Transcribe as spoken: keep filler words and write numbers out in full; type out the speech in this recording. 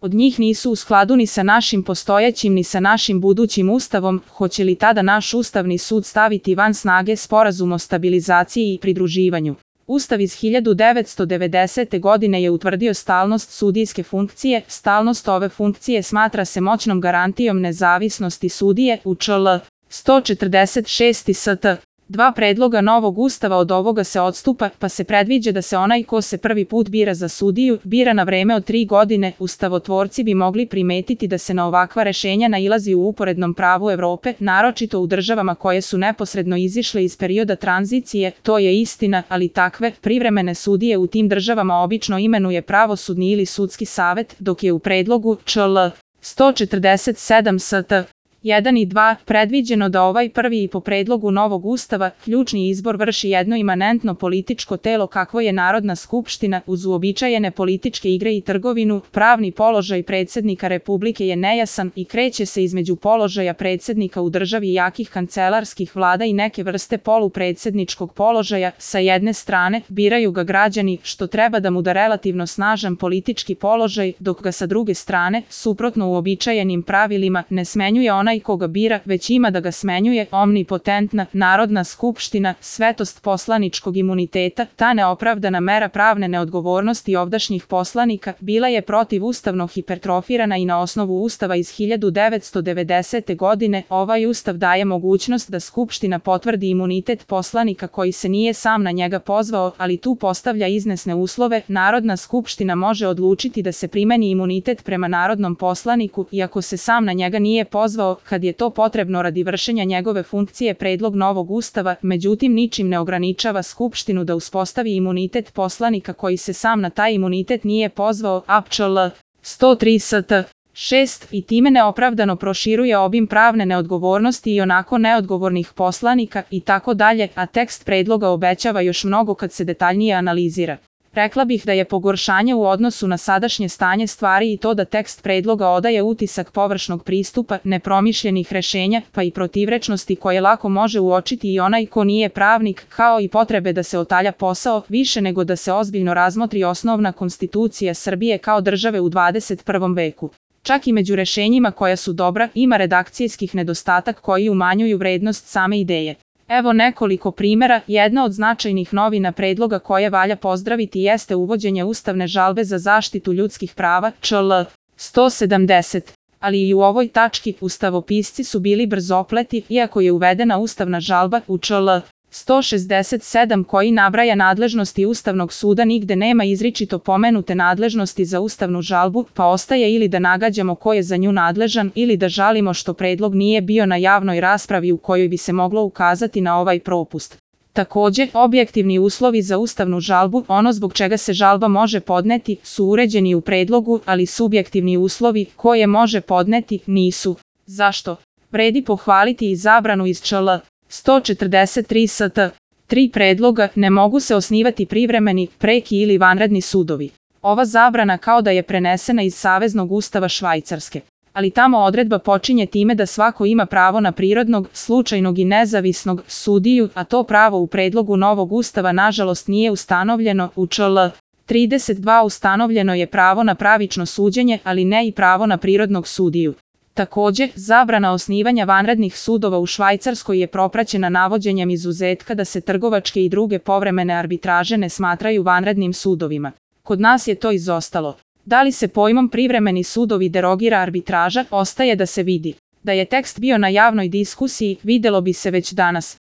od njih nisu u skladu ni sa našim postojećim ni sa našim budućim ustavom, hoće li tada naš Ustavni sud staviti van snage Sporazum o stabilizaciji i pridruživanju? Ustav iz hiljadu devetsto devedesete. godine je utvrdio stalnost sudijske funkcije. Stalnost ove funkcije smatra se moćnom garantijom nezavisnosti sudije u čl. sto četrdeset šest st. Dva predloga novog ustava od ovoga se odstupa, pa se predviđa da se onaj ko se prvi put bira za sudiju, bira na vreme od tri godine. Ustavotvorci bi mogli primetiti da se na ovakva rešenja nailazi u uporednom pravu Evrope, naročito u državama koje su neposredno izišle iz perioda tranzicije. To je istina, ali takve privremene sudije u tim državama obično imenuje pravosudni ili sudski savet, dok je u predlogu čl. sto četrdeset sedam st. jedan i dva predviđeno da ovaj prvi i po predlogu novog ustava ključni izbor vrši jedno imanentno političko telo kakvo je Narodna skupština. Uz uobičajene političke igre i trgovinu, pravni položaj predsjednika Republike je nejasan i kreće se između položaja predsjednika u državi jakih kancelarskih vlada i neke vrste polupredsjedničkog položaja. Sa jedne strane, biraju ga građani, što treba da mu da relativno snažan politički položaj, dok ga sa druge strane, suprotno uobičajenim pravilima, ne smenjuje onaj koga bira, već ima da ga smenjuje omnipotentna Narodna skupština. Svetost poslaničkog imuniteta, ta neopravdana mera pravne neodgovornosti ovdašnjih poslanika, bila je protivustavno hipertrofirana i na osnovu Ustava iz hiljadu devetsto devedesete. godine. Ovaj ustav daje mogućnost da Skupština potvrdi imunitet poslanika koji se nije sam na njega pozvao, ali tu postavlja iznesne uslove. Narodna skupština može odlučiti da se primeni imunitet prema narodnom poslaniku, iako se sam na njega nije pozvao, kad je to potrebno radi vršenja njegove funkcije. Predlog novog ustava, međutim, ničim ne ograničava Skupštinu da uspostavi imunitet poslanika koji se sam na taj imunitet nije pozvao, a čl. sto tri st. šest i time neopravdano proširuje obim pravne neodgovornosti i onako neodgovornih poslanika i tako dalje, a tekst predloga obećava još mnogo kad se detaljnije analizira. Rekla bih da je pogoršanje u odnosu na sadašnje stanje stvari i to da tekst predloga odaje utisak površnog pristupa, nepromišljenih rešenja, pa i protivrečnosti koje lako može uočiti i onaj ko nije pravnik, kao i potrebe da se otalja posao, više nego da se ozbiljno razmotri osnovna konstitucija Srbije kao države u dvadeset prvom veku. Čak i među rešenjima koja su dobra, ima redakcijskih nedostatak koji umanjuju vrednost same ideje. Evo nekoliko primjera. Jedna od značajnih novina predloga koje valja pozdraviti jeste uvođenje ustavne žalbe za zaštitu ljudskih prava, čl. sto sedamdeset. Ali i u ovoj tački ustavopisci su bili brzopleti, iako je uvedena ustavna žalba u čl. sto šezdeset sedam koji nabraja nadležnosti Ustavnog suda, nigde nema izričito pomenute nadležnosti za ustavnu žalbu, pa ostaje ili da nagađamo ko je za nju nadležan ili da žalimo što predlog nije bio na javnoj raspravi u kojoj bi se moglo ukazati na ovaj propust. Takođe, objektivni uslovi za ustavnu žalbu, ono zbog čega se žalba može podneti, su uređeni u predlogu, ali subjektivni uslovi koje može podneti nisu. Zašto? Vredi pohvaliti i zabranu iz čl. sto četrdeset tri st. tri predloga ne mogu se osnivati privremeni, preki ili vanredni sudovi. Ova zabrana kao da je prenesena iz Saveznog ustava Švajcarske. Ali tamo odredba počinje time da svako ima pravo na prirodnog, slučajnog i nezavisnog sudiju, a to pravo u predlogu novog ustava nažalost nije ustanovljeno. U čl. trideset dva ustanovljeno je pravo na pravično suđenje, ali ne i pravo na prirodnog sudiju. Takođe, zabrana osnivanja vanrednih sudova u Švajcarskoj je propraćena navođenjem izuzetka da se trgovačke i druge povremene arbitraže ne smatraju vanrednim sudovima. Kod nas je to izostalo. Da li se pojmom privremeni sudovi derogira arbitraža, ostaje da se vidi. Da je tekst bio na javnoj diskusiji, videlo bi se već danas.